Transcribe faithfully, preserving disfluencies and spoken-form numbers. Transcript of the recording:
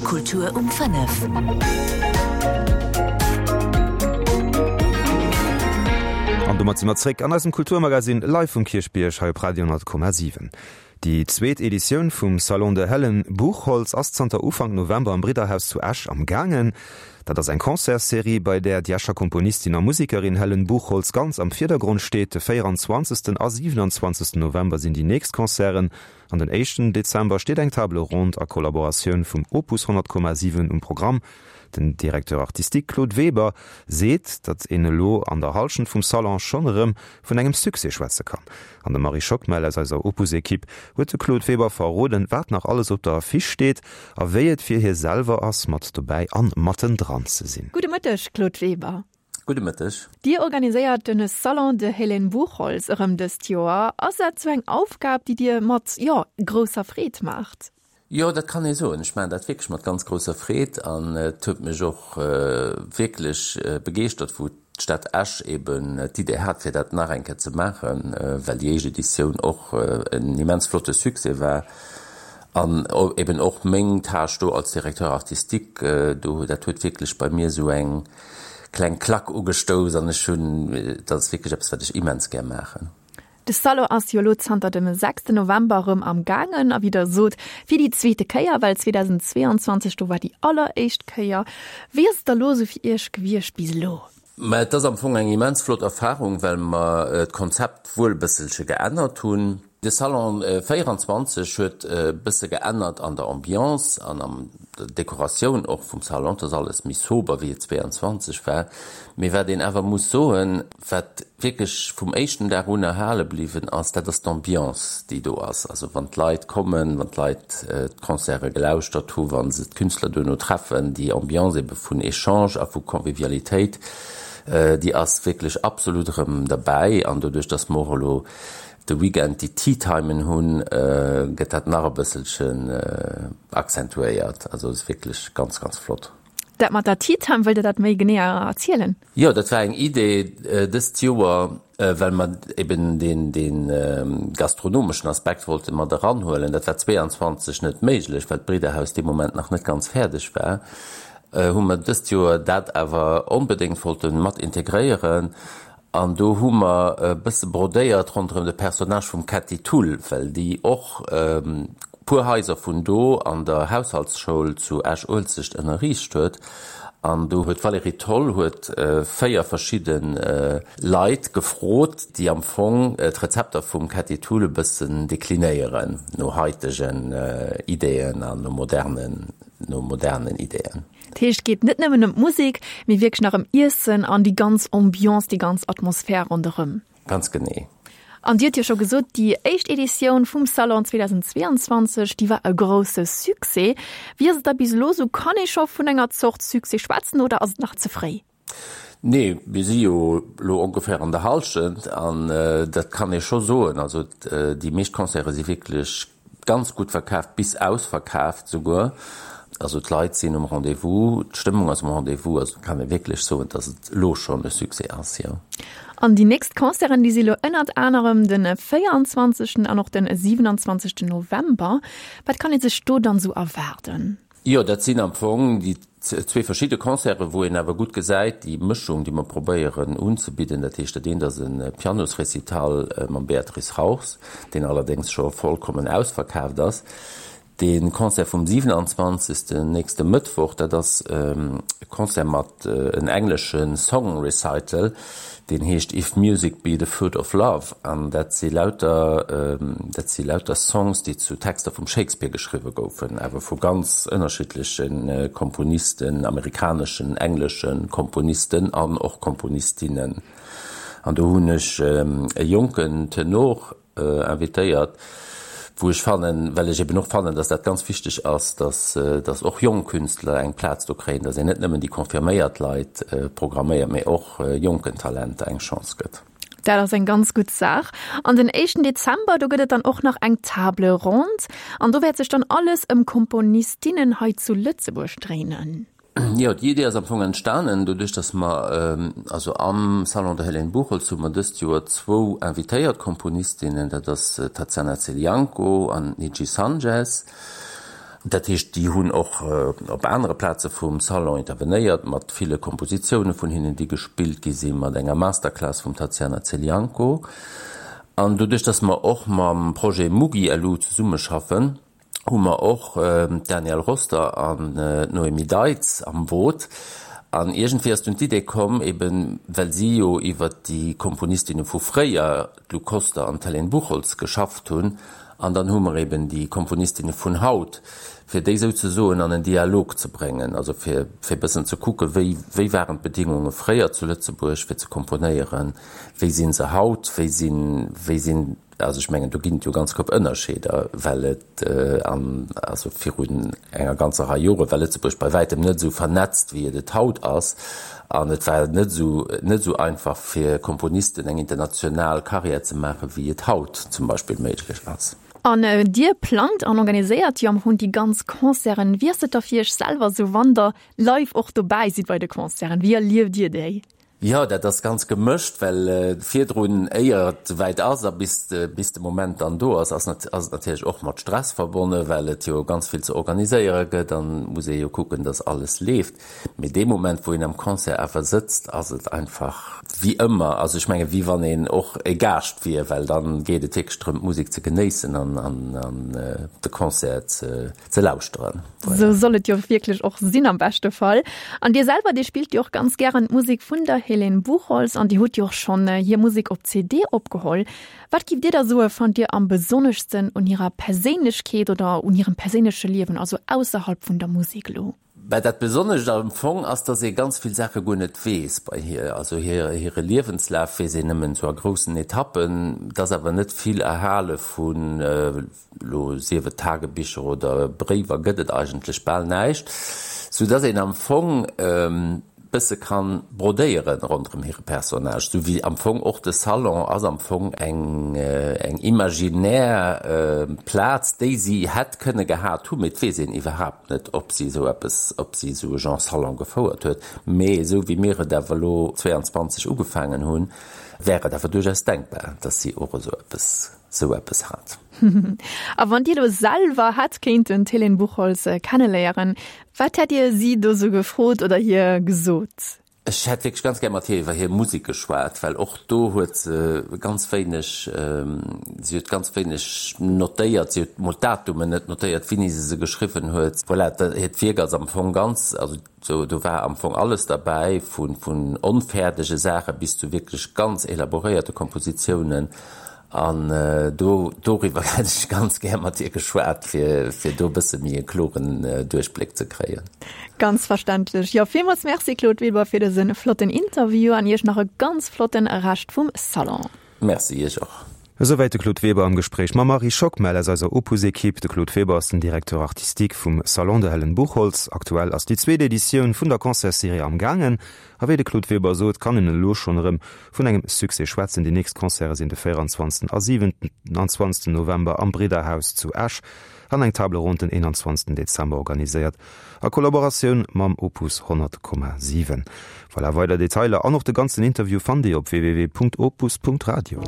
Kultur um fënnef. An domat si mer zréck an eisem Kulturmagazin live vum Kierchbierg hei op Radio honnert Komma siwen. Déi zweet Editioun vum Salon de Helen Buchholtz ass zanter Ufank November am Bridderhaus zu Esch am gaangen. Dat ass eng Concertsserie, bei där déi Escher Komponistin a Musekerin Helen Buchholtz ganz am Virdergrond steet. De véieranzwanzegsten a siwenanzwanzegsten November sinn déi nächst Concerten. An den éischten Dezember steet eng Table ronde a Kollaboratioun vum Opus honnert Komma siwen um Programm. Den Directeur artistique Claude Weber seet, datt een elo an der Hallschent vum Salon schonn erëm vun engem Succès schwätze kann. An de Marie Schockmel aus eiser Opus-Ekipp huet de Claude Weber verroden, wat nach alles op der Affiche steet a wéi et fir hie selwer ass, mat dobäi an mattendran ze sinn. Gudde Mëtteg, Claude Weber. Gudde Mëtteg. Dir organiséiert den Salon de Hélène Buchholtz erëm dëst Joer. Ass dat sou eng Aufgab, déi Dir mat, jo, grousser Freed maacht? Jo, dat kann ee soen. Ech maachen dat wierklech mat ganz grousser Freed an et huet mech och wierklech begeeschtert, wou d'Stad Esch eben d'Idee hat, fir dat nach eng Kéier ze maachen, well déi éischt Editioun och en immens flotte Succès war. An eben och meng Tâche do als Directeur artistique, do, dat huet wierklech bei mir esou eng kleng Klack ugestouss an ech hunn, dat ass wierklech eppes, wat ech immens gär maachen. De Salon ass jo elo zanter dem sechsten November erëm am gaangen a wéi Der sot, fir déi zweete Kéier, well zweedausendzweeanzwanzeg do war déi alleréischt Kéier. Wéi ass et da lo esou fir Iech gewiescht bis elo? Mä et ass am Fong eng immens flott Erfarung, well mer d'Konzept wuel e bësselche geännert hunn. De Salon véieranzwanzeg huet e bësse geännert an der Ambiance an an der Dekoratioun och vum Salon. Et ass alles méi sober, wéi et zweeanzwanzeg war. Mee wat een awer muss soen, wat wierklech vum éischten Dag un erhale bliwwen ass, dat ass d'Ambiance, déi do ass. Also wann d'Leit kommen, wann d'Leit d'Concerte gelauschtert hu, wa se d'Künstler duerno treffen, déi Ambiance ebe vun Echange a vu Convivialitéit, déi ass wierklech absolut erëm derbäi. An doduerch, dass mer och elo de Weekend déi Tea-Timen hunn, gëtt dat nach e bësselchen accentuéiert. Also et ass wierklech ganz, ganz flott. Dat mat der Tea-Time, wëllt Der dat méi genee erzielen? Jo, dat war eng Idee dëst Joer, well mer eben deen, dee gastronomeschen Aspekt wollte mat eranhuelen. Dat war zweeanzwanzeg net méiglech, well d'Bridderhaus dee Moment nach net ganz fäerdeg war. Hu mer dëst Joer dat awer onbedéngt wollte mat integréieren. An do hu mer e bësse brodéiert ronderëm de Personnage vum Ketty Thull, well déi och e puer Haiser vun do an der Haushaltsschoul zu Esch-Uelzecht ënnerriicht huet. An do huet d'Valérie Tholl huet véier verschidde Leit gefrot, déi am Fong d'Rezepter vum Ketty Thull e bëssen deklinéieren no haitegen Ideeën an no modernen, no modernen Ideeën. Dat heescht, et geet net nëmmen ëm d'Musek, mee wierklech nach ëm Iessen an déi ganz Ambiance, déi ganz Atmosphär ronderëm. Ganz genee. An Dir hutt jo scho gesot, déi éischt Editioun vum Salon zweedausendzweeanzwanzeg, déi war e grousse Succès. Wéi ass et da bis elo esou? Kann ee scho vun enger Zort Succès schwätzen oder ass et nach ze fréi? Nee, mir si jo elo ongeféier an der Hallschent an dat kann ee scho soen. Also déi meescht Concerte si wierklech ganz gutt verkaaft, bis ausverkaaft souguer. Also d'Leit sinn um Rendez-vous, d'Stëmmung ass um Rendez-vous. Also kann ee wierklech soen, datt et elo schonn e Succès ass, jo. An déi nächst Concerten, déi si elo ënnert anerem de véieranzwanzegsten an och de siwenanzwanzegsten November. Wat kann ee sech do dann esou erwaarden? Jo, dat sinn am Fong déi zwee verschidde Concerten, wou een awer gutt gesäit, déi Mëschung, déi mer probéieren unzebidden. Dat heescht, dat eent ass e Pianosrecital mam Beatrice Rauchs, deen allerdéngs scho vollkommen ausverkaaft ass. De Concert vum siwenanzwanzegsten, nächste Mëttwoch, dat ass e Concert mat en englesche Song Recital, deen heescht If Music Be the Food of Love an dat si lauter, dat si lauter Songs, déi zu Texter vum Shakespeare geschriwwe goufen, awer vu ganz ënnerschiddleche Komponisten, amerikaneschen, englesche Komponisten an och Komponistinnen. An do hunn ech e jonken Tenor invitéiert, wou ech fannen, well ech eben och fannen, dass dat ganz wichteg ass, dass, dass och jonk Künstler eng Plaz do kréien, dass een net nëmmen déi confirméiert Leit programméiert, mee och jonken Talenter eng Chance gëtt. Dat ass eng ganz gutt Saach. An den éischten Dezember, do gëtt et dann och nach eng Table ronde an do wäert sech dann alles ëm Komponistinnen hei zu Lëtzebuerg dréinen. Jo, déi Idee ass am Fong entstanen doduerch, dass mer, also am Salon der Hélène Buchholtz hu mer dëst Joer zwou invitéiert Komponistinnen, dat ass d'Tatsiana Zelianko an d'Nidji Sanchez. Dat heescht, déi hunn och op anere Plaze vum Salon intervenéiert, mat ville Kompositioune vun hinnen, déi gespillt gi sinn, mat enger Masterclass vum Tatsiana Zelianko. An doduerch, datt mer och mam Projet Mugi LU zesummeschaffen, hu mer och d'Danielle Roster an d'Noémie Deitz am Boot. An iergendwéi ass dunn d'Idee komm, eben well si jo iwwer déi Komponistinne vu fréier, d'Lou Koster an d'Hélène Buchholtz, geschafft hunn, an dann hu mer eben déi Komponistinne vun haut, fir déi souzesoen an en Dialog ze bréngen, also fir fir e bëssen ze kucken, wéi wéi waren d'Bedingunge fréier zu Lëtzebuerg fir ze komponéieren, wéi si se haut, wéi sinn wéi sinn, also ech mengen do ginn et jo ganz Koup Ënnerscheeder, well et an also virun enger ganzer Rei Jore war Lëtzebuerg bei wäitem net esou vernetzt wéi et et haut ass an et war net esou net esou einfach fir Komponisten eng international Karriär ze maachen, wéi et haut zum Beispill méiglech ass. An Dir plangt an organiséiert jo am Fong déi ganz Concerten. Wéi ass et da fir Iech selwer esou, wann Der live och dobäi sidd bei de Concerten? Wéi erlieft Dir déi? Jo, dat ass ganz gemëscht, well virdrun, éier et esouwäit ass a bis bis de Moment dann do ass, ass ass et natierlech och mat Stress verbonne, well et jo ganz vill ze organiséiere gëtt an muss ee jo kucken, dass alles leeft. Mee dee Moment, wou een am Concert awer sëtzt, ass et einfach wéi ëmmer, also ech menge wéi wann een och e Gaascht wier, well dann geet et wierklech drëm, d'Musek ze genéissen an an de Concert ze ze lauschteren. Voilà. Sou soll et jo wierklech och sinn am beschte Fall. An Dir selwer, Dir spillt jo och ganz gären d'Musek vun der Hélène Buchholtz an Dir hutt jo och schonn hir Musek op C D opgeholl. Wat giff Dir da soe fannt Dir am besonneschsten un hirer Perséinlechkeet oder un hirem perséinleche Liewen, also ausserhalb vun der Musek elo? Bah, dat Besonnescht am Fong ass, dass ee ganz vill Saache guer net weess bei hir. Also hir, hire Liewenslaf weess een nëmmen esou a groussen Etappen. Et ass awer net vill erhale vun elo, sief et Tagebicher oder Bréiwer, gëtt et eigentlech bal näischt, soudass een am Fong bësse kann brodéieren ronderëm hire Personnage, sou wéi am Fong och de Salon ass am Fong eng eng imaginär Plaz, déi si hätt kënne gehat hunn, mee et weess een iwwerhaapt net, ob si esou eppes, ob si esou e Genre Salon gefouert huet. Mee esou wéi mir et awer elo zwéianzwanzeg ugefaangen hunn, wär et awer duerchaus denkbar, dass si och esou eppes esou eppes hat. A wann Dir elo selwer hätt kéinten d'Hélène Buchholtz kenneléieren, wat hätt Dir si do sou gefrot oder hir gesot? Ech hätt wierklech ganz gär mat hir iwwer hir Musek geschwat, well och do huet se ganz wéineg, si huet ganz wéineg notéiert, si huet mol d'Datumen net notéiert, wéini se se geschriwwen huet. Voilà, hiert Wierk ass am Fong ganz, also do do war am Fong alles derbäi, vu vun onfäerdege Saache bis zu wierklech ganz elaboréierte Kompositiounen. An do doriwwer hätt ech ganz gär mat dir geschwat, fir fir do e bësse méi e kloren Duerchbléck ze kréien. Ganz verständlech. Jo, villmools Merci Claude Weber fir dëse flotten Interview an Iech nach e ganz flotten Rescht vum Salon. Merci, Iech och. Esouwäit de Claude Weber am Gespréich mam Marie Schockmel aus eiser Opus-Equipe. De Claude Weber ass den Directeur artistique vum Salon de Helen Buchholtz. Aktuell ass déi zweet Editioun vun der Concertsserie am gaangen. A wéi de Claude Weber sot, kann een elo schonn erëm vun engem Succès schwätzen. Déi nächst Concerte sinn de véierundzwanzegsten a siwenanzwanzegsten November am Bridderhaus zu Esch an eng Table ronde den eenanzwanzegsten Dezember, organiséiert a Kollaboratioun mam Opus honnert Komma siwen. Voilà, weider Detailer an och de ganzen Interview fannt Dir op www.opus.radio.